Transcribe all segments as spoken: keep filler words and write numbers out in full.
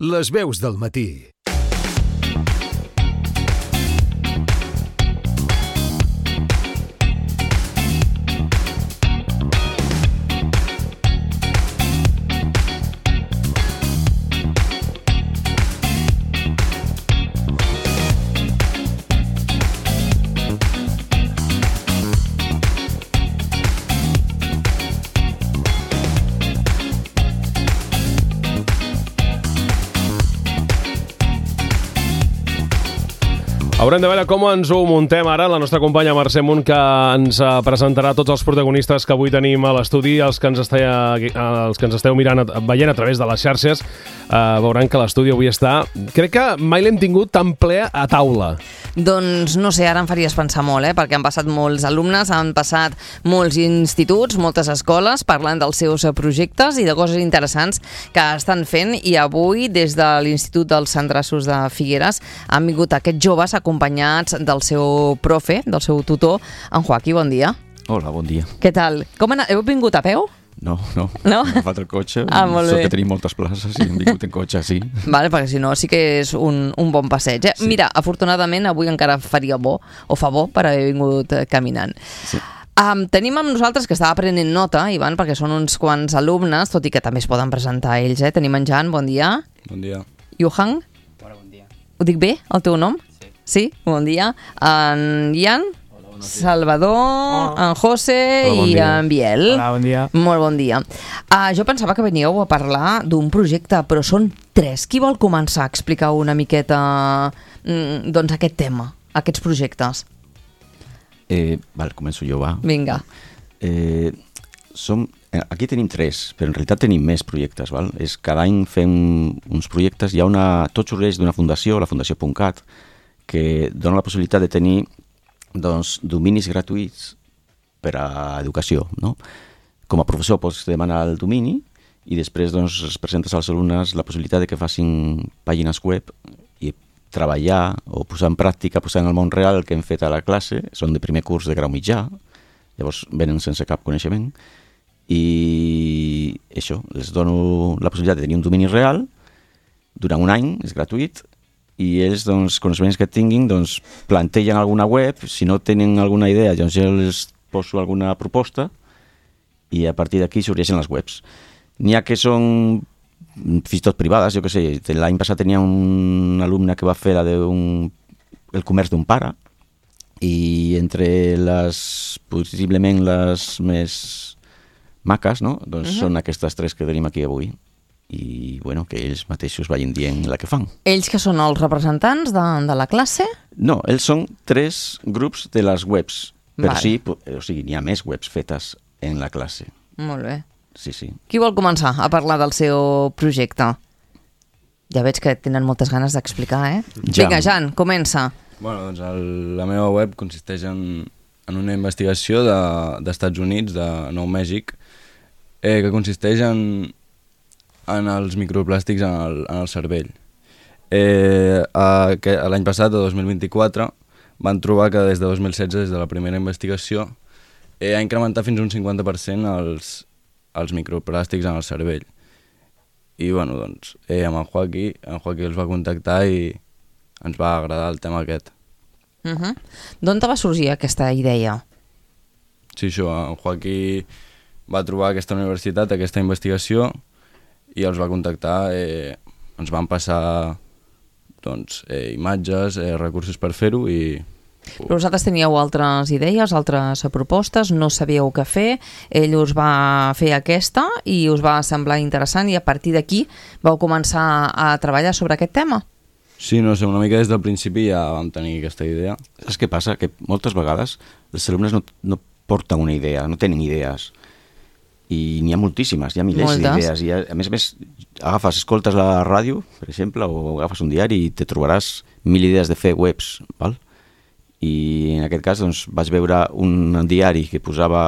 Les veus del matí. Haurem de veure com ens ho muntem ara. La nostra companya Mercè Munt, que ens presentarà tots els protagonistes que avui tenim a l'estudi, els que ens esteu, els que ens esteu mirant, veient a través de les xarxes, eh, veuran que l'estudi avui està... Crec que mai l'hem tingut tan ple a taula. Doncs no sé, ara em faries pensar molt, eh? Perquè han passat molts alumnes, han passat molts instituts, moltes escoles, parlant dels seus projectes i de coses interessants que estan fent, i avui, des de l'Institut dels Sandrassos de Figueres, han vingut aquests joves acompanyats del seu profe, del seu tutor, en Joaquí. Bon dia. Hola, bon dia. Què tal? Com han... Heu vingut a peu? No, no, no? Hem agafat el cotxe, ah, sort que tenim moltes places i hem vingut en cotxe, sí. Vale, perquè si no sí que és un, un bon passeig. Eh? Sí. Mira, afortunadament avui encara faria bo, o fa bo, per haver vingut caminant. Sí. Um, tenim amb nosaltres, que estava prenent nota, Ivan, perquè són uns quants alumnes, tot i que també es poden presentar ells. Eh? Tenim en Jan, bon dia. Bon dia. Yuhang? Hola, bon dia. Ho dic bé, el teu nom? Sí. Sí, bon dia. En Ian? Salvador, oh. en José bon i dia. En Biel. Hola, bon dia. Molt bon dia. Uh, jo pensava que veníeu a parlar d'un projecte, però són tres. Qui vol començar a explicar una miqueta mm, doncs aquest tema, aquests projectes? Eh, val, començo jo, va. Vinga. Eh, som, aquí tenim tres, però en realitat tenim més projectes, val? És, cada any fem uns projectes, hi ha una, tot sorgeix d'una fundació, la Fundació Puntcat, que dona la possibilitat de tenir doncs, dominis gratuïts per a educació, no? Com a professor pots demanar el domini i després doncs, es presentes als alumnes la possibilitat de que facin pàgines web i treballar o posar en pràctica, posar en el món real el que hem fet a la classe. Són de primer curs de grau mitjà, llavors venen sense cap coneixement, i això, els dono la possibilitat de tenir un domini real durant un any, és gratuït, i ells, doncs, coneixements que tinguin, doncs, plantegen alguna web, si no tenen alguna idea, doncs jo els poso alguna proposta i a partir d'aquí sorgeixen les webs. N'hi ha que són fins i tot privades, jo què sé, l'any passat tenia un alumne que va fer la de un, el comerç d'un pare, i entre les, possiblement les més maques, no? Doncs uh-huh. són aquestes tres que tenim aquí avui. I bueno, que ells mateixos vagin dient la que fan. Ells que són els representants de, de la classe? No, ells són tres grups de les webs, però vale. sí, o sigui, n'hi ha més webs fetes en la classe. Molt bé. Sí, sí. Qui vol començar a parlar del seu projecte? Ja veig que tenen moltes ganes d'explicar, eh? Jan. Vinga, Jan, comença. Bueno, doncs el, la meva web consisteix en, en una investigació de, d'Estats Units, de Nou Mèxic, eh, que consisteix en en els microplàstics en el, en el cervell. Eh, a, que, l'any passat, el dos mil vint-i-quatre, van trobar que des de dos mil setze, des de la primera investigació, eh, ha incrementat fins a un cinquanta per cent els, els microplàstics en el cervell. I, bueno, doncs, eh, amb en Joaquí, en Joaquí els va contactar i ens va agradar el tema aquest. Uh-huh. D'on te va sorgir aquesta idea? Sí, això, en Joaquí va trobar aquesta universitat, aquesta investigació, i els va contactar, eh, ens van passar doncs, eh, imatges, eh, recursos per fer-ho i... Però vosaltres teníeu altres idees, altres propostes, no sabíeu què fer, ell us va fer aquesta i us va semblar interessant i a partir d'aquí vau començar a treballar sobre aquest tema? Sí, no sé, una mica des del principi ja vam tenir aquesta idea. Saps què passa? Que moltes vegades els alumnes no, no porten una idea, no tenen idees. I n'hi ha moltíssimes, hi ha milers d'idees. I a, a més a més, agafes, escoltes la ràdio, per exemple, o agafes un diari i te trobaràs mil idees de fer webs, val? I en aquest cas doncs, vaig veure un diari que posava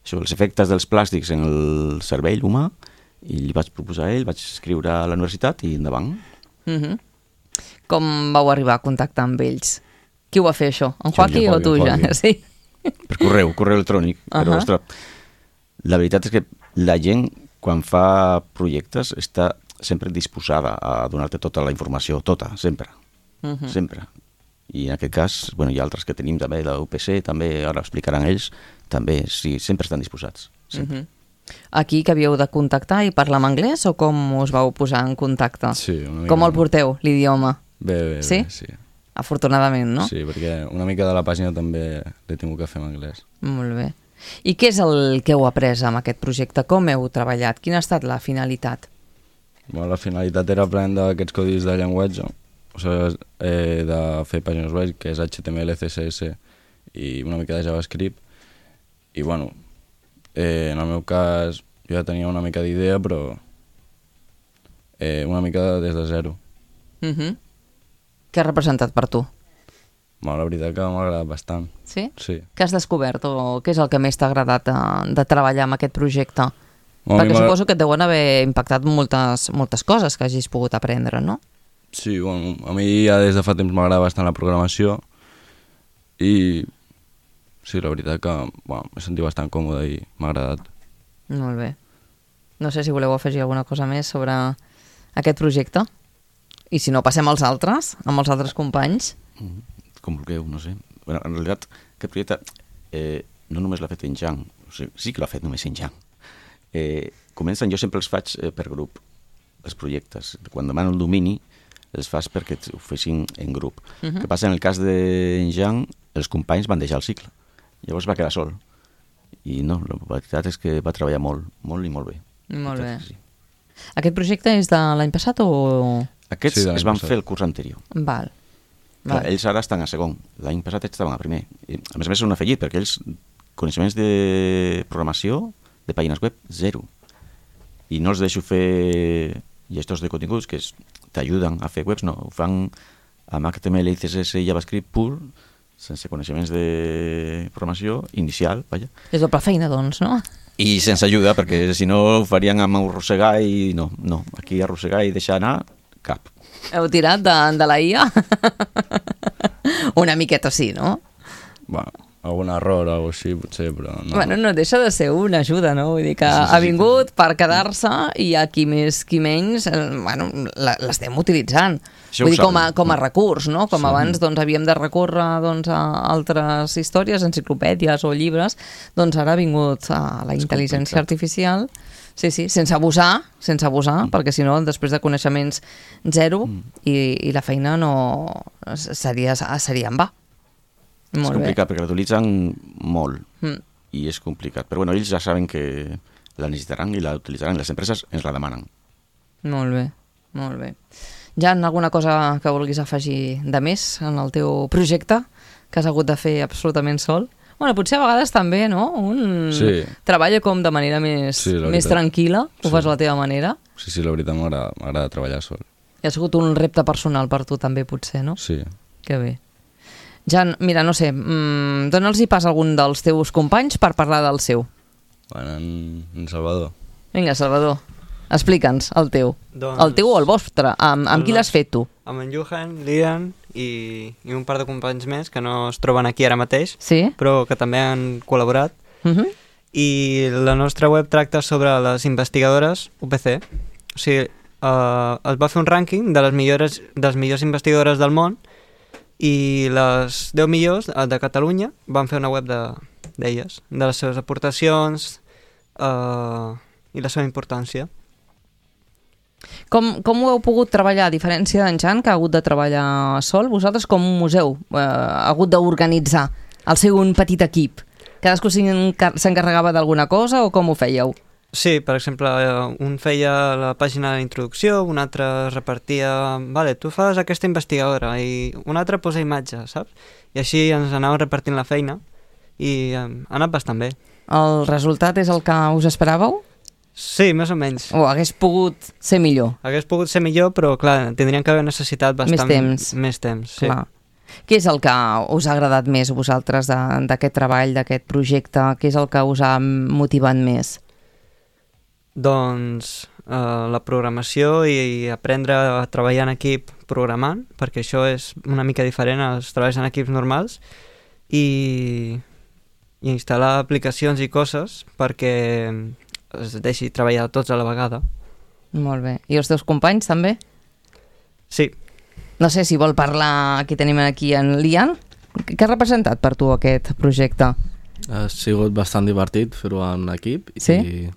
això, els efectes dels plàstics en el cervell humà i li vaig proposar a ell, vaig escriure a la universitat i endavant. Mm-hmm. Com vau arribar a contactar amb ells? Qui ho va fer, això? En Joaquí o tu, ja? Sí. Per correu, correu electrònic. Uh-huh. Però, ostres, la veritat és que la gent, quan fa projectes, està sempre disposada a donar-te tota la informació, tota, sempre, uh -huh. sempre. I en aquest cas, bueno, hi ha altres que tenim també, la U P C, també, ara explicaran ells, també, sí, sempre estan disposats. Sempre. Uh -huh. Aquí que havíeu de contactar i parlar en anglès o com us vau posar en contacte? Sí, una mica. Com el porteu, l'idioma? Bé, bé, sí? bé, sí. Afortunadament, no? Sí, perquè una mica de la pàgina també l'he tingut que fer en anglès. Molt bé. I què és el que heu après amb aquest projecte? Com heu treballat? Quina ha estat la finalitat? Bueno, la finalitat era aprendre aquests codis de llenguatge, o sigui, eh, de fer pàgines web, que és H T M L, C S S i una mica de JavaScript. I, bueno, eh, en el meu cas jo ja tenia una mica d'idea, però eh, una mica des de zero. Uh -huh. Què ha representat per tu? Bueno, la veritat que m'ha agradat bastant. Sí? Sí. Què has descobert o què és el que més t'ha agradat de, de treballar amb aquest projecte? Bueno, perquè suposo que et deuen haver impactat moltes, moltes coses que hagis pogut aprendre, no? Sí, bueno, a mi ja des de fa temps m'agrada bastant la programació i sí, la veritat que bueno, m'he sentit bastant còmode i m'ha agradat. Molt bé. No sé si voleu afegir alguna cosa més sobre aquest projecte. I si no, passem als altres, amb els altres companys. Mm, com vulgueu, no sé. Bueno, en realitat, aquest projecte eh, no només l'ha fet en Jan, o sigui, sí que l'ha fet només en Jan. Eh, comencen, jo sempre els faig eh, per grup, els projectes. Quan demano el domini, els fas perquè ho fessin en grup. Uh -huh. Què passa? En el cas d'en Jan, els companys van deixar el cicle. Llavors va quedar sol. I no, la veritat és que va treballar molt, molt i molt bé. Molt bé. Sí. Aquest projecte és de l'any passat o...? Aquests sí, es van passat. fer el curs anterior. Val. Clar, Val. ells ara estan a segon. L'any passat ells estaven a primer. I, a més a més, són un afegit, perquè ells, coneixements de programació, de pàgines web, zero. I no els deixo fer gestors de continguts que t'ajuden a fer webs, no. Ho fan amb H T M L, C S S i JavaScript pur, sense coneixements de programació inicial, vaja. És doble feina, doncs, no? I sense ajuda, perquè si no ho farien amb arrossegar i no, no. Aquí arrossegar i deixar anar, cap. Heu tirat de, de la I A? Una miqueta sí, no? Bueno, algun error o alguna cosa així, potser, però no. Bueno, no deixa de ser una ajuda, no? Vull dir que Sí, sí, sí, ha vingut per quedar-se i a qui més, qui menys, eh, bueno, la- l'estem utilitzant. Això Vull ho dir, com a, saben. com a recurs, no? Com Sí. abans doncs, havíem de recórrer doncs, a altres històries, enciclopèdies o llibres, doncs ara ha vingut a la És intel·ligència complicat. artificial. Sí, sí, sense abusar, sense abusar, mm. perquè si no, després de coneixements zero mm. i, i la feina no seria, seria en va. És Molt complicat, perquè l'utilitzen molt bé. Mm. i és complicat. Però bueno, ells ja saben que la necessitaran i la utilitzaran. Les empreses ens la demanen. Molt bé, molt bé. Jan, alguna cosa que vulguis afegir de més en el teu projecte que has hagut de fer absolutament sol? Bueno, potser a vegades també, no? Un Sí. treballa com de manera més, Sí, la més veritat. tranquil·la, ho Sí. fas a la teva manera. Sí, sí, la veritat m'agrada m'agrada treballar sol. I ha sigut un repte personal per tu també, potser, no? Sí. Que bé. Jan, mira, no sé, mmm, dona'ls-hi pas a algun dels teus companys per parlar del seu. Bueno, en, en Salvador. Vinga, Salvador, explica'ns el teu. Doncs- El teu o el vostre, amb, amb El qui l'has nostre. fet tu? Amb en Johan, l'Ian i, i un par de companys més que no es troben aquí ara mateix, Sí? però que també han col·laborat. Uh -huh. I la nostra web tracta sobre les investigadores U P C. O sigui, eh, es va fer un rànquing de les millors, de les millors investigadores del món i les deu millors de Catalunya van fer una web de- d'elles, de, de les seves aportacions eh, i la seva importància. Com, com ho heu pogut treballar, a diferència d'en Jan, que ha hagut de treballar sol? Vosaltres com un museu eh, ha hagut d'organitzar el seu un petit equip? Cadascú s'encar- s'encarregava d'alguna cosa o com ho fèieu? Sí, per exemple, eh, un feia la pàgina d'introducció, un altre repartia... Vale, tu fas aquesta investigadora i un altre posa imatge, saps? I així ens anàvem repartint la feina i eh, ha anat bastant bé. El resultat és el que us esperàveu? Sí, més o menys. O hagués pogut ser millor? Hagués pogut ser millor, però clar, tindríem que haver necessitat bastant... Més temps. Més temps, sí. Clar. Què és el que us ha agradat més a vosaltres de- d'aquest treball, d'aquest projecte? Què és el que us ha motivat més? Doncs eh, la programació i aprendre a treballar en equip programant, perquè això és una mica diferent als treballs en equips normals, i, i instal·lar aplicacions i coses perquè es deixi treballar tots a la vegada. Molt bé. I els teus companys també? Sí. No sé si vol parlar, aquí tenim aquí en Lian. Què ha representat per tu aquest projecte? Ha sigut bastant divertit fer-ho en equip Sí? i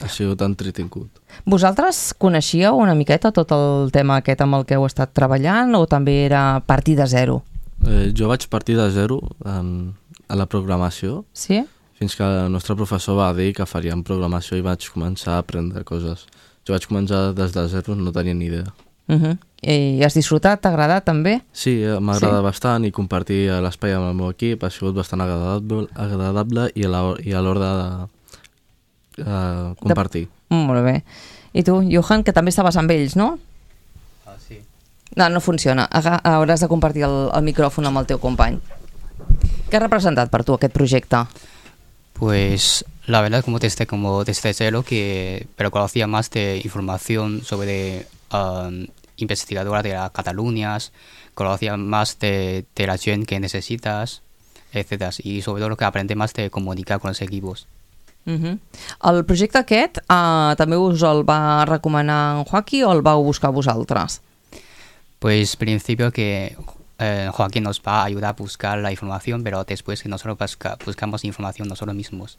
ha sigut entretingut. Vosaltres coneixíeu una miqueta tot el tema aquest amb el que heu estat treballant o també era partir de zero? Eh, jo vaig partir de zero en, en la programació, Sí? fins que el nostre professor va dir que faríem programació i vaig començar a aprendre coses. Jo vaig començar des de zero, no tenia ni idea. Uh -huh. I has disfrutat? T'ha agradat també? Sí, eh, m'agrada Sí? bastant i compartir l'espai amb el meu equip ha sigut bastant agradable, agradable i a la- i a l'hora de uh, compartir. Mm, molt bé. I tu, Johan, que també estaves amb ells, no? Ah, sí. No, no funciona. Aga- Hauràs de compartir el, el micròfon amb el teu company. Què ha representat per tu aquest projecte? Pues la verdad como desde, como desde cero, que, pero conocía más de información sobre um, investigadora de la Cataluña, conocía más de, de la gente que necesitas, etcétera. Y sobre todo lo que aprendí más de comunicar con los equipos. Uh -huh. El projecte aquest uh, també us el va recomanar en Joaquí o el vau buscar vosaltres? Pues principio que eh, Joaquín nos va a ayudar a buscar la información, pero después que nosotros busca, buscamos información nosotros mismos.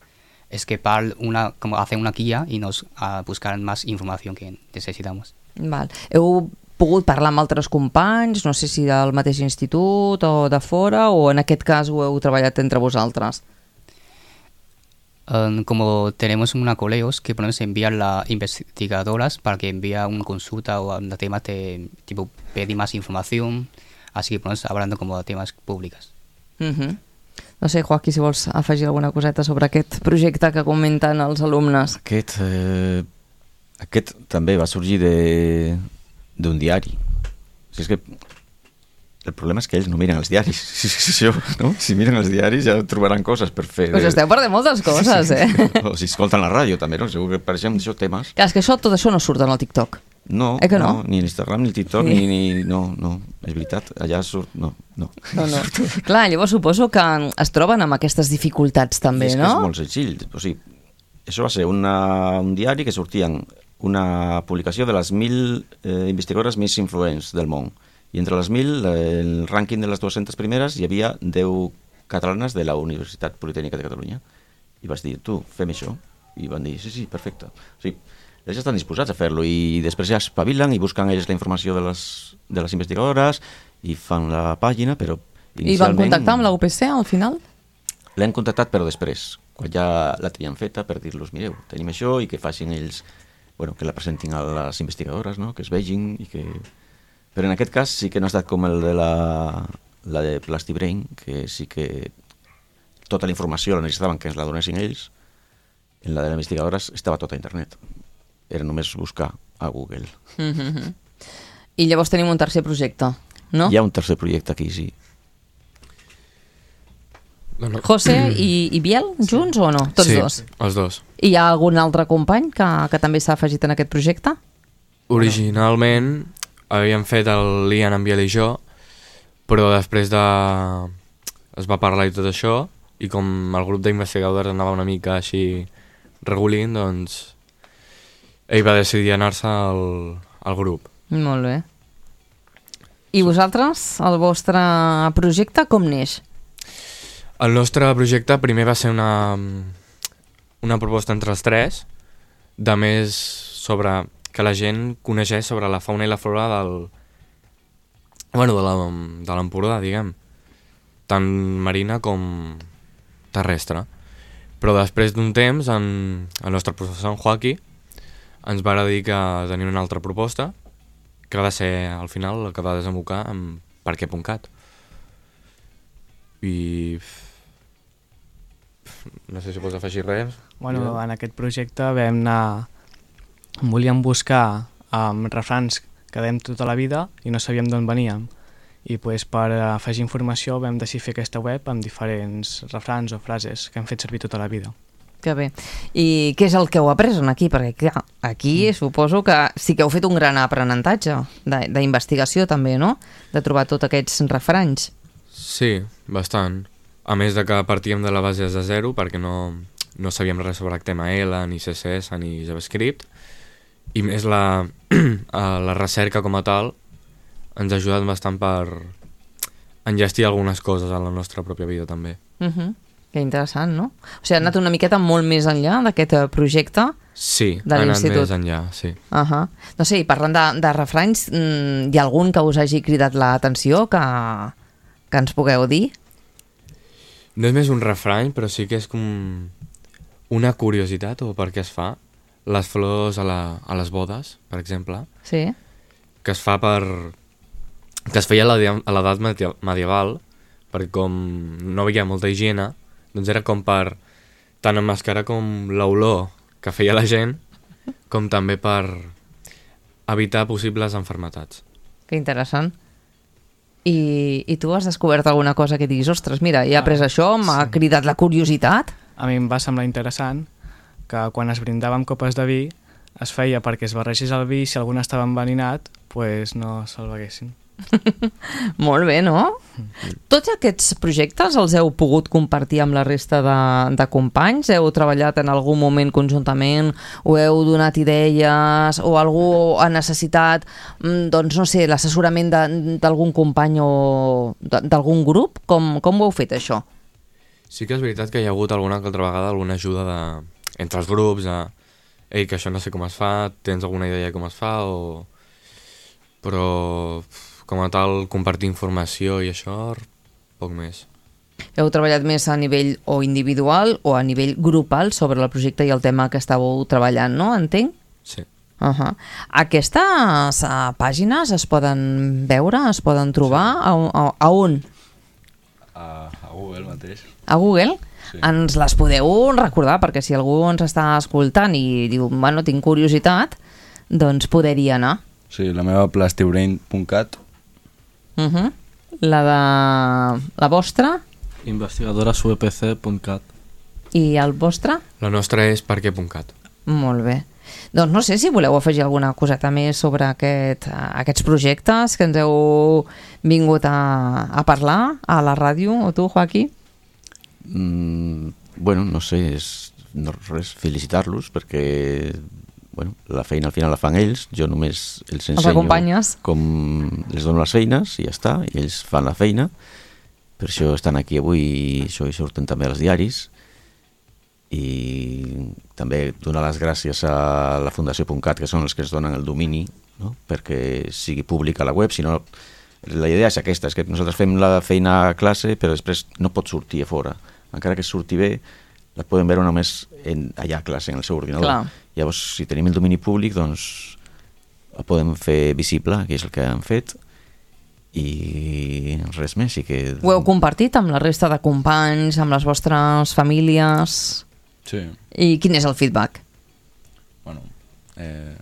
Es que para una, como hacer una guía y nos uh, buscar más información que necesitamos. Val. Heu pogut parlar amb altres companys, no sé si del mateix institut o de fora, o en aquest cas ho heu treballat entre vosaltres? Um, como tenemos una coleos que podemos enviar a investigadoras para que envíe una consulta o a temas de tipo pedir más información, así que podemos hablando como de temas públicos. Uh -huh. No sé, Joaquí, si vols afegir alguna coseta sobre aquest projecte que comenten els alumnes. Aquest, eh, aquest també va sorgir de d'un diari. Si és que el problema és que ells no miren els diaris. Si, si, si, no? si miren els diaris ja trobaran coses per fer. Us esteu perdent moltes coses, eh? O si escolten la ràdio també, no? Segur que apareixen d'això temes. Clar, és que això, tot això no surt en el TikTok. No, Eh que no? no, ni a l'Instagram, ni al TikTok, Sí. ni, ni... No, no, és veritat. Allà surt... No, no. No, no. Clar, llavors suposo que es troben amb aquestes dificultats també, I és que no? és molt senzill. O sigui, això va ser una, un diari que sortien una publicació de les mil eh, investigadores més influents del món. I entre les mil, eh, el rànquing de les dues-centes primeres, hi havia deu catalanes de la Universitat Politècnica de Catalunya. I vas dir, tu, fem això. I van dir, sí, sí, perfecte. O sigui, ells estan disposats a fer-lo i després ja espavilen i busquen ells la informació de les, de les investigadores i fan la pàgina, però I van inicialment... contactar amb la U P C al final? L'hem contactat però després, quan ja la tenien feta, per dir-los, mireu, tenim això i que facin ells, bueno, que la presentin a les investigadores, no? Que es vegin i que... Però en aquest cas sí que no ha estat com el de la, la de Plastibrain, que sí que tota la informació la necessitaven que ens la donessin ells. En la de les investigadores estava tota a internet. Era només buscar a Google. Mm-hmm. I llavors tenim un tercer projecte, no? Hi ha un tercer projecte aquí, sí. No, no. José i, i Biel, junts o no? Tots sí, dos. els dos. I hi ha algun altre company que, que també s'ha afegit en aquest projecte? Originalment havíem fet el Lian, en Biel i jo, però després de... es va parlar i tot això, i com el grup d'investigadors anava una mica així regulint, doncs ell va decidir anar-se al, al grup. Molt bé. I vosaltres, el vostre projecte, com neix? El nostre projecte primer va ser una, una proposta entre els tres, de més sobre que la gent coneixés sobre la fauna i la flora del, bueno, de la, de l'Empordà, diguem, tant marina com terrestre. Però després d'un temps, en, el nostre professor, en Joaquí, ens va dir que tenia una altra proposta, que va ser, al final, el que va desembocar en perquè.cat. I... no sé si pots afegir res. Bueno, en aquest projecte vam anar... volíem buscar um, refrans que dèiem tota la vida i no sabíem d'on veníem. I pues, per afegir informació vam decidir fer aquesta web amb diferents refrans o frases que hem fet servir tota la vida. Que bé. I què és el que heu après aquí? Perquè clar, aquí suposo que sí que heu fet un gran aprenentatge d'investigació també, no? De trobar tots aquests refranys. Sí, bastant. A més de que partíem de la base de zero perquè no, no sabíem res sobre H T M L, ni C S S, ni JavaScript, i més la, la recerca com a tal ens ha ajudat bastant per enllestir algunes coses a la nostra pròpia vida també. Uh-huh. Que interessant, no? O sigui, ha anat una miqueta molt més enllà d'aquest projecte sí, de ha anat l'institut. més enllà, sí. Uh-huh. No sé, i parlant de, de refranys, hi ha algun que us hagi cridat l'atenció que, que ens pugueu dir? No és més un refrany, però sí que és com una curiositat o per què es fa. Les flors a, la, a les bodes, per exemple, sí. que es fa per... que es feia a l'edat medieval, perquè com no hi havia molta higiene, doncs era com per tant emmascarar com l'olor que feia la gent, com també per evitar possibles enfermetats. Que interessant. I, i tu has descobert alguna cosa que diguis, ostres, mira, he après ah, això, m'ha sí. cridat la curiositat? A mi em va semblar interessant que quan es brindava amb copes de vi es feia perquè es barregés el vi i si algun estava enveninat, pues no se'l beguessin. Molt bé, no? Tots aquests projectes els heu pogut compartir amb la resta de, de companys? Heu treballat en algun moment conjuntament? O heu donat idees? O algú ha necessitat, doncs no sé, l'assessorament d'algun company o d'algun grup? Com, com ho heu fet, això? Sí que és veritat que hi ha hagut alguna altra vegada alguna ajuda de, entre els grups, a, ei, que això no sé com es fa, tens alguna idea de com es fa, o... però com a tal compartir informació i això, poc més. Heu treballat més a nivell o individual o a nivell grupal sobre el projecte i el tema que estàveu treballant, no? Entenc? Sí. Uh-huh. Aquestes uh, pàgines es poden veure, es poden trobar? Sí. A, a, a on? A, a Google mateix. A Google? Sí. Ens les podeu recordar, perquè si algú ens està escoltant i diu, bueno, tinc curiositat, doncs poder-hi anar. Sí, la meva plastibrain punt cat. Uh-huh. La de... la vostra? investigadores u e pe ce punt cat. I el vostre? La nostra és perquè punt cat. Molt bé. Doncs no sé si voleu afegir alguna coseta més sobre aquest, aquests projectes que ens heu vingut a, a parlar a la ràdio, o tu, Joaquí? Mm, bueno, no sé, és, no, res, felicitar-los perquè bueno, la feina al final la fan ells, jo només els ensenyo com els dono les feines i ja està, i ells fan la feina, per això estan aquí avui i això hi surten també als diaris. I també donar les gràcies a la Fundació .cat, que són els que es donen el domini, no? Perquè sigui pública la web, si no, la idea és aquesta, és que nosaltres fem la feina a classe però després no pot sortir a fora, encara que surti bé la poden veure només en, allà a classe, en el seu ordinador. Clar. Llavors, si tenim el domini públic, doncs la podem fer visible, que és el que han fet, i res més. I que... Ho heu compartit amb la resta de companys, amb les vostres famílies? Sí. I quin és el feedback? Bueno, eh,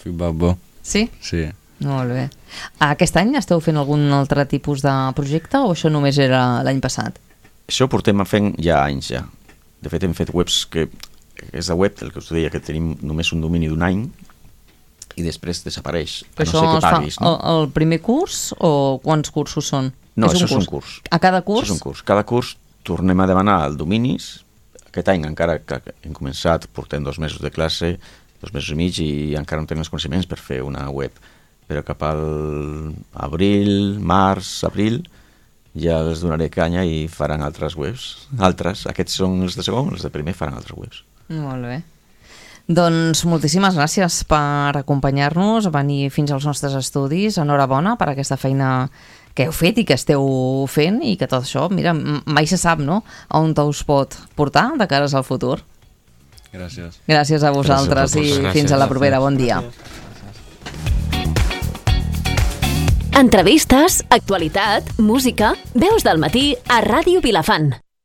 feedback bo. Sí? Sí. Molt bé. Aquest any esteu fent algun altre tipus de projecte o això només era l'any passat? Això portem fent ja anys ja. De fet hem fet webs que és la web, el que us deia, que tenim només un domini d'un any i després desapareix, a no ser que paguis. No? El, el primer curs o quants cursos són? No, és això un és un curs. A cada curs? Això és un curs. Cada curs tornem a demanar el dominis. Aquest any encara que hem començat, portem dos mesos de classe, dos mesos i mig, i encara no tenim els coneixements per fer una web. Però cap al abril, març, abril, ja els donaré canya i faran altres webs. Altres, aquests són els de segon, els de primer faran altres webs. Molt bé. Doncs moltíssimes gràcies per acompanyar-nos, a venir fins als nostres estudis. Enhorabona per aquesta feina que heu fet i que esteu fent, i que tot això, mira, mai se sap, no?, on us pot portar de cares al futur. Gràcies. Gràcies a vosaltres gràcies a i gràcies. Fins a la propera. Bon dia. Entrevistes, actualitat, música, veus del matí a Ràdio Vilafant.